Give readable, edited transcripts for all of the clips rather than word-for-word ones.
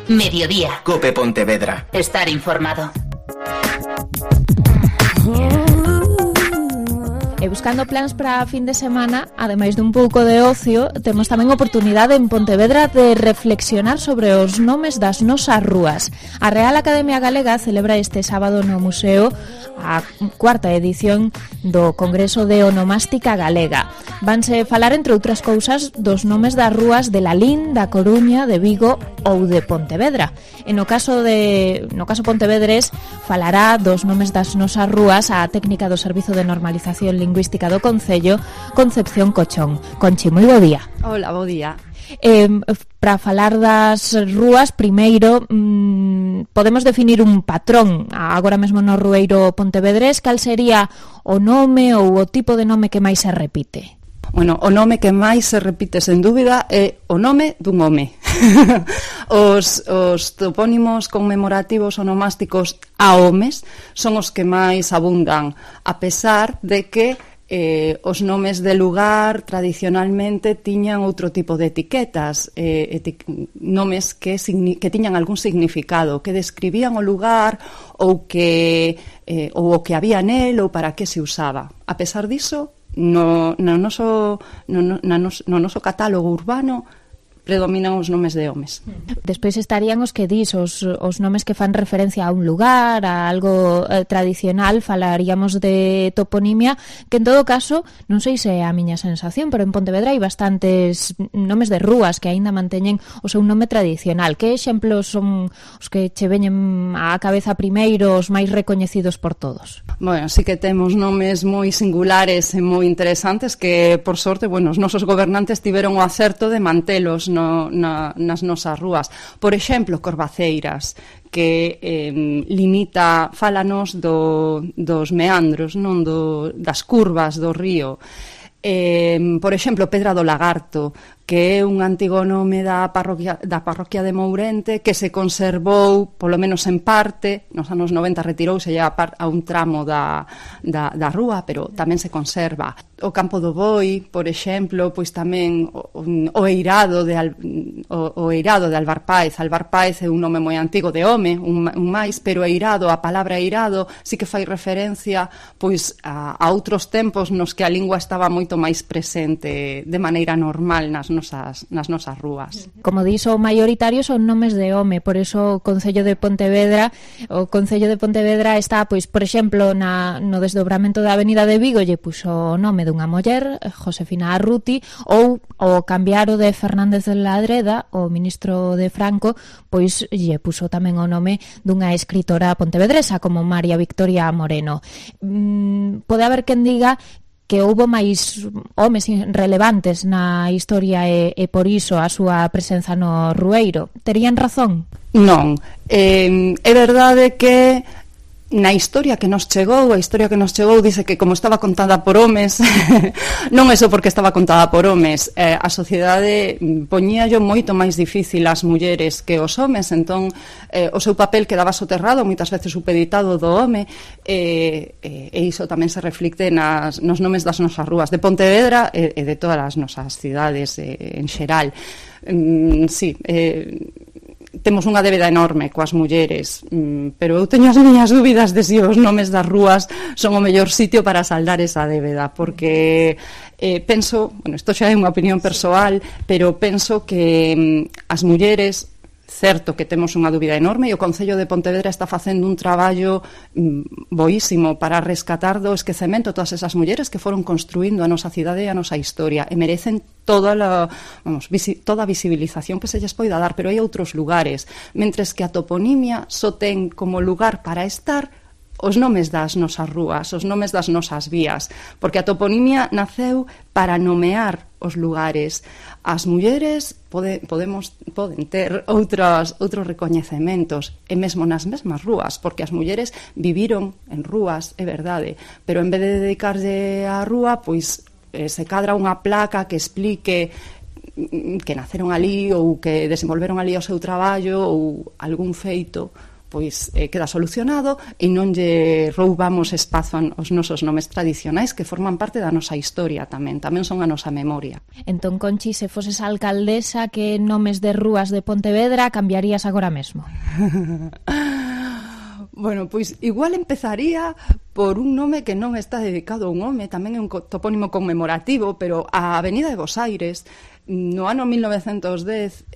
Mediodía. COPE Pontevedra. Estar informado. E buscando plans para a fin de semana, ademais dun pouco de ocio, temos tamén oportunidade en Pontevedra de reflexionar sobre os nomes das nosas rúas. A Real Academia Galega celebra este sábado no Museo a cuarta edición do Congreso de Onomástica Galega. Vanse falar, entre outras cousas, dos nomes das rúas de Lalín, da Coruña, de Vigo ou de Pontevedra. E no caso pontevedrés, falará dos nomes das nosas rúas a técnica do Servizo de Normalización Lingüística do Concello, Concepción Cochón. Conchi, moi bo día. Hola, bo día. Para falar das rúas, primeiro podemos definir un patrón agora mesmo no rueiro pontevedrés. Cal sería o nome ou o tipo de nome que máis se repite? Bueno, o nome que máis se repite, sen dúbida, é o nome dun home. Os topónimos conmemorativos onomásticos a homes son os que máis abundan, a pesar de que os nomes de lugar tradicionalmente tiñan outro tipo de etiquetas, nomes que tiñan algún significado, que describían o lugar ou o que había nel ou para que se usaba. A pesar diso, no noso catálogo urbano predominan os nomes de homes. Despois estarían os que dis, os nomes que fan referencia a un lugar, a algo tradicional. Falaríamos de toponimia, que en todo caso, non sei se é a miña sensación, pero en Pontevedra hai bastantes nomes de rúas que aínda manteñen o seu nome tradicional. Que exemplos son os que che veñen á cabeza primeiro, os máis recoñecidos por todos? Bueno, sí que temos nomes moi singulares e moi interesantes que, por sorte, os nosos gobernantes tiveron o acerto de mantelos nas nosas rúas. Por exemplo, Corvaceiras, que fálanos dos meandros, non das curvas do río. Por exemplo, Pedra do Lagarto, que é un antigo nome da parroquia de Mourente, que se conservou, polo menos en parte, nos anos 90 retirouse a un tramo da rúa, pero tamén se conserva. O Campo do Boi, por exemplo, pois tamén o Eirado de Álvar Páez. Álvar Páez é un nome moi antigo de home, un máis, pero Eirado, a palabra Eirado, sí que fai referencia pois a outros tempos nos que a lingua estaba moito máis presente de maneira normal nas nosas rúas. Como dixo, o maioritario son nomes de home, por eso o Concello de Pontevedra está, pois, por exemplo, no desdobramento da Avenida de Vigo lle puxo o nome dunha muller, Josefina Arruti, ou o cambiar o de Fernández de Ladreda, o ministro de Franco, pois lle puxo tamén o nome dunha escritora pontevedresa como María Victoria Moreno. Pode haber quen diga que houbo máis homes relevantes na historia e por iso a súa presenza no rueiro. Terían razón? Non. É verdade que na historia que nos chegou, dice que como estaba contada por homes, non é só porque estaba contada por homes, a sociedade poñíallo moito máis difícil ás mulleres que os homes, entón o seu papel quedaba soterrado, moitas veces supeditado do home, e iso tamén se reflicte nos nomes das nosas rúas de Pontevedra e de todas as nosas cidades en xeral. Sí, temos unha débeda enorme coas mulleres, pero eu teño as miñas dúbidas de se os nomes das rúas son o mellor sitio para saldar esa débeda, porque penso, isto xa é unha opinión persoal, pero penso que as mulleres, certo que temos unha dúbida enorme, e o Concello de Pontevedra está facendo un traballo boísimo para rescatar do esquecemento todas esas mulleres que foron construindo a nosa cidade e a nosa historia, e merecen toda a visibilización que se lles poida dar, pero hai outros lugares, mentres que a toponimia só ten como lugar para estar os nomes das nosas rúas, os nomes das nosas vías, porque a toponimia naceu para nomear os lugares. As mulleres poden ter outros recoñecementos, e mesmo nas mesmas rúas, porque as mulleres viviron en rúas, é verdade, pero en vez de dedicarse á rúa, pois se cadra unha placa que explique que naceron ali ou que desenvolveron ali o seu traballo ou algún feito pois queda solucionado e non lle roubamos espazo aos nosos nomes tradicionais que forman parte da nosa historia tamén son a nosa memoria. Entón, Conchi, se foses alcaldesa, que nomes de rúas de Pontevedra cambiarías agora mesmo? Bueno, pois igual empezaría por un nome que non está dedicado a un home, tamén é un topónimo conmemorativo, pero a Avenida de Bos Aires, no ano 1910,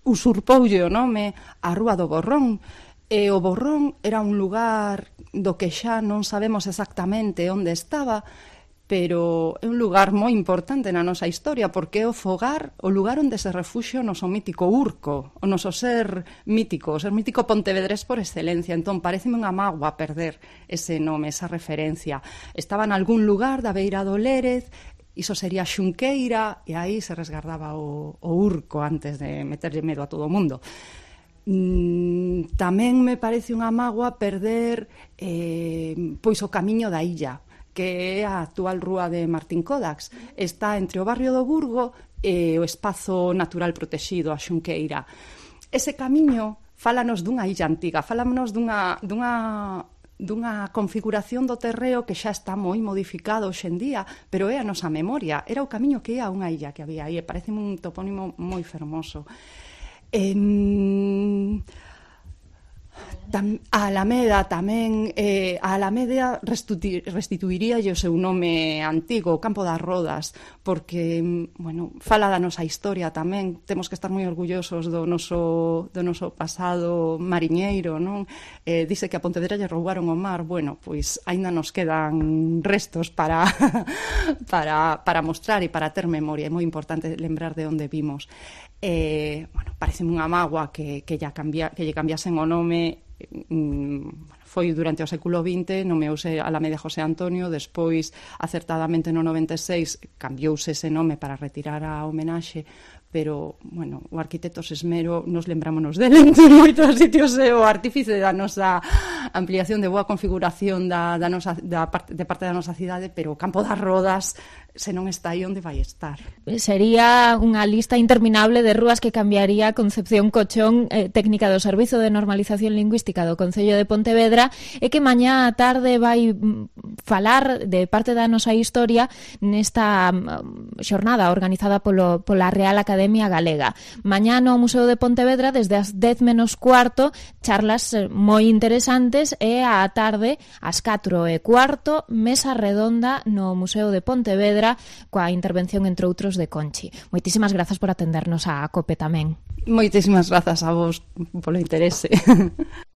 usurpoulle o nome a Rúa do Borrón, e o Borrón era un lugar do que xa non sabemos exactamente onde estaba, pero é un lugar moi importante na nosa historia, porque é o fogar, o lugar onde se refuxia o noso mítico Urco, o noso ser mítico pontevedrés por excelencia. Entón, pareceme unha mágoa perder ese nome, esa referencia. Estaba en algún lugar da beira do Lérez, iso sería Xunqueira, e aí se resgardaba o Urco antes de meterlle medo a todo o mundo. Tamén me parece unha mágoa perder pois o camiño da illa, que é a actual rúa de Martín Codax. Está entre o barrio do Burgo e o espazo natural protexido, a Xunqueira. Ese camiño fálanos dunha illa antiga, fálanos dunha configuración do terreo que xa está moi modificado hoxe en día, pero é a nosa memoria. Era o camiño que ia a unha illa que había aí, e parece un topónimo moi fermoso. A Alameda tamén, a Alameda restituiría o seu nome antigo, o Campo das Rodas, porque, bueno, fala da nosa historia tamén. Temos que estar moi orgullosos do noso pasado mariñeiro, non? Dice que a Pontevedra lle roubaron o mar. Bueno, pois aínda nos quedan restos para mostrar e para ter memoria. É moi importante lembrar de onde vimos. Bueno, pareceme unha mágoa que lle cambiasen o nome. Foi durante o século XX, nomeouse Alameda José Antonio, despois, acertadamente no 96, cambiouse ese nome para retirar a homenaxe, pero, bueno, o arquitecto Sesmero, nos lembrámonos dele en moitos sitios, é o artífice da nosa ampliación de boa configuración de parte da nosa cidade, pero o Campo das Rodas, se non está aí, onde vai estar? Sería unha lista interminable de rúas que cambiaría Concepción Cochón, técnica do Servizo de Normalización Lingüística do Concello de Pontevedra, e que mañá á tarde vai falar de parte da nosa historia nesta xornada organizada pola Real Academia Galega. Mañá no Museo de Pontevedra, desde as 10 menos cuarto, charlas moi interesantes, e á tarde, ás 4:15, mesa redonda no Museo de Pontevedra, coa intervención, entre outros, de Conchi. Moitísimas grazas por atendernos a COPE tamén. Moitísimas grazas a vos polo interese.